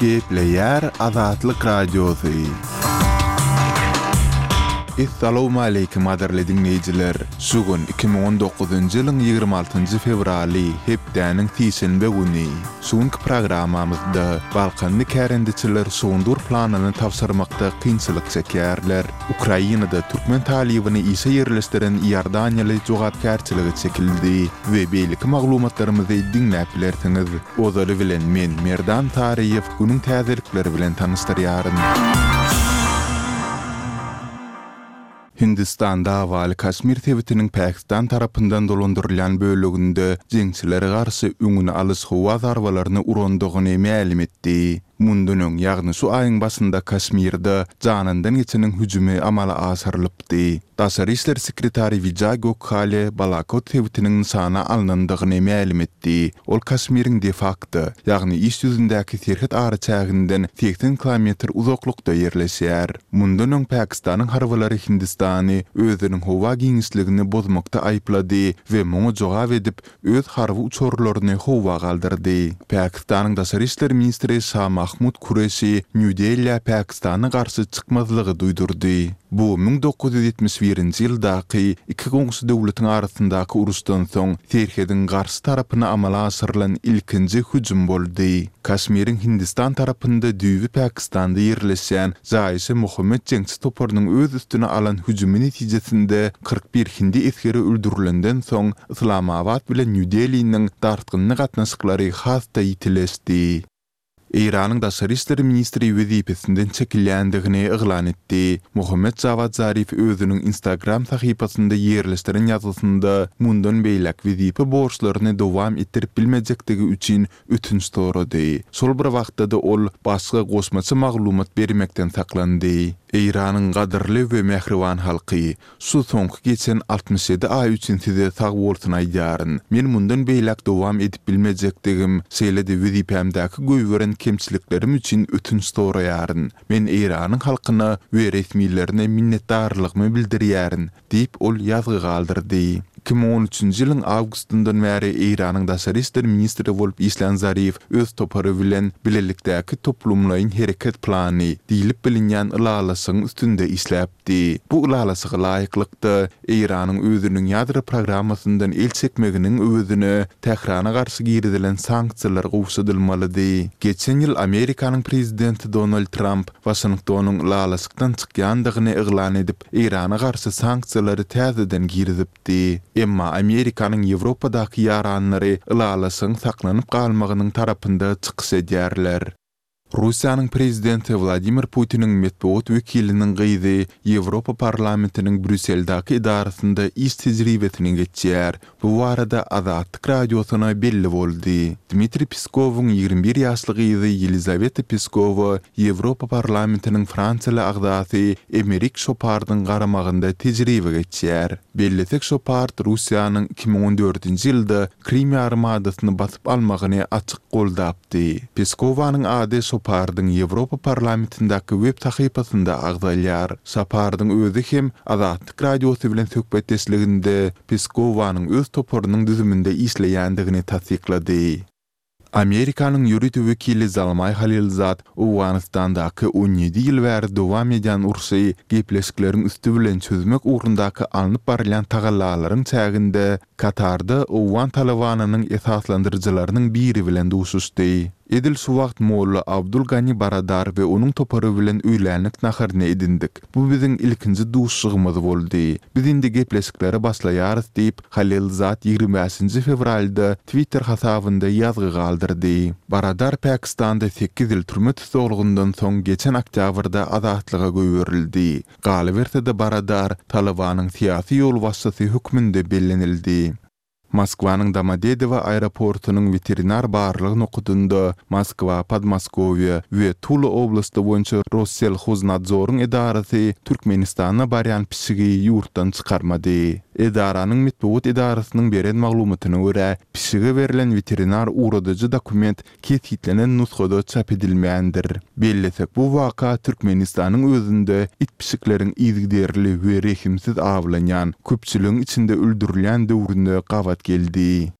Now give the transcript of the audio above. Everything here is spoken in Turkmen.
Gepleýär Azatlyk Radiosy. Essalawmaleýkim gadyrly diňleýjiler! Şu gün 2019-njy ýylyň 26-njy fewraly, hepdäniň sişenbe güni. Şu günki programmamyzda balkanly kärendeçiler şugundyr planyny tabşyrmakda kynçylyk çekýärler. Ukrainada türkmen talybyny işe ýerleşdiren iordaniýaly jogapkärçilige çekildi we beýleki maglumatlarymyzy diňläp bilersiňiz. Ozaly bilen men, Merdan Taryýew, günüň täzelikleri bilen tanyşdyrýaryn. Hindistan dawaly Kaşmir sebitiniň Pakistan tarapyndan dolandyrylýan böleginde jeňçilere garşy öňüni alyş howa zarbalaryny urandygyny mälim etdi. Mundan öň, ýagny şu aýyň başynda Kaşmirde janyndan geçeniň hüjümi amala aşyrylypdy. Daşary işler sekretary Wijaý Gokhale Balakot sebitiniň nyşana alnandygyny mälim etdi. Ol Kaşmiriň de-fakto, ýagny iş ýüzündäki serhet araçäginden 80 kilometr uzaklykda ýerleşýär. Mundan öň Pakistanyň harbylary Hindistany özüniň howa giňişligini bozmakda aýyplady we muňa jogap edip, öz harby uçarlaryny howa galdyrdy. Pakistanyň daşary işler ministri Şah Mahmud Kureşi Nýu-Delä Pakistana garşy çykmazlygy duýdurdy. Bu 1971-nji ýyldaky iki goňşy döwletiň arasyndaky uruşdan soň serhediň garşy tarapyna amala aşyrylan ilkinji hüjüm boldy. Kaşmiriň Hindistan tarapynda düýbi Pakistanda ýerleşýän Jaýşe-Muhammet jeňçi toparynyň öz üstüne alan hüjümi netijesinde 41 hindi esgeri öldürilenden soň Yslamabat bilen Nýu-Deliniň dartgynly gatnaşyklary has-da ýitileşdi. Eýranyň daşary işler ministri wezipesinden çekilýändigini yglan etdi. Mohammed Jawad Zarif özüniň Instagram sahypasynda ýerleşdiren ýazgysynda mundan beýläk wezipe borçlaryny dowam etdirip bilmejekdigi üçin ötünç sorady. Şol bir wagtda-da ol başga goşmaça maglumat bermekden saklandy. Eýranyň gadyrly we mähriban halky! Şu soňky geçen 67 aý üçin size sagbolsun aýdýaryn. Men mundan beýläk dowam edip bilmejekdigim, şeýle-de wezipämdäki goýberen kemçiliklerim üçin ötünç soraýaryn. Men Eýranyň halkyna we resmilerine minnetdarlygymy bildirýärin, diýip, ol ýazgy galdyrdy. 2013-nji ýylyň awgustyndan bäri Eýranyň daşary işler ministri bolup işlän Zarif öz topary bilen Bilelikdäki toplumlaýyn hereket plany diýlip bilinýän ylalaşygyň üstünde işläpdi. Bu ylalaşyga laýyklykda, Eýranyň özüniň ýadro programmasyndan el çekmeginiň öwezine Tährana garşy girizilen sanksiýalar gowşadylmalydy. Geçen ýyl Amerikanyň prezidenti Donald Tramp Waşingtonyň ylalaşykdan çykýandygyny yglan edip, Eýrana garşy sanksiýalary täzeden girizipdi. Emma Amerikanyň Ýewropadaky ýaranlary ylalaşygyň saklanyp galmagynyň tarapynda çykyş edýärler. Russiýanyň prezidenti Wladimir Putiniň metbugat wekiliniň gyzy Ýewropa Parlamentiniň Brýusseldäki edarasynda iş tejribesini geçýär. Bu barada Azatlyk Radiosyna belli boldy. Dmitriý Peskowyň 21 ýaşly gyzy Ýelizaweta Peskowa Ýewropa Parlamentiniň fransiýaly agzasy Emerik Şopardyň garamagynda tejribe geçýär. Bellesek Şopard Russiýanyň 2014-nji ýylda Krym ýarymadasyny basyp almagyny açyk goldapdy. Peskowanyň ady Şopardyň Ýewropa Parlamentindäki web sahypasynda agzalýar. Şopardyň özi hem Azatlyk Radiosy bilen söhbetdeşliginde Peskowanyň öz toparynyň düzüminde işleýändigini tassyklady. Amerikanyň ýörite wekili Zalmaý Halilzad Owganystandaky 17 ýyl bäri dowam edýän urşy gepleşikleriň üsti bilen çözmek ugrundaky alnyp barylýan tagallalaryň çäginde Katarda owgan Talybanynyň esaslandyryjylarynyň biri bilen duşuşdy. Edil şu wagt molla Abdul Gani Baradar we onuň topary bilen öýlänlik naharyny edindik. Bu biziň ilkinji duşuşygymyz boldy. Biz indi gepleşiklere başlaýarys diýip, Halilzad 25-nji fewralda Twitter hasabynda ýazgy galdyrdy. Baradar Pakistanda sekiz ýyl türme tussaglygyndan soň geçen oktýabrda azatlyga goýberildi. Galyberse-de Baradar Talybanyň syýasy ýolbaşçysy hökmünde bellenildi. Moskwanyň Domodedowo aeroportunyň weterinar barlag nokadynda Moskwa, Podmoskowýe we Tula oblasty boýunça Rosselhoznadzoryň edarasy Türkmenistana barýan pişigi ýurtdan çykarmady. Edaranyň metbugat edarasynyň beren maglumatyna görä, pişige berlen weterinar ugradyjy dokument kesgitlenen nusgada çap edilmändir. Bellesek, bu waka Türkmenistanyň özünde it-pişikleriň yzygiderli we rehimsiz awlanýan, köpçüligiň içinde öldürilýän döwrüne gabat geldi.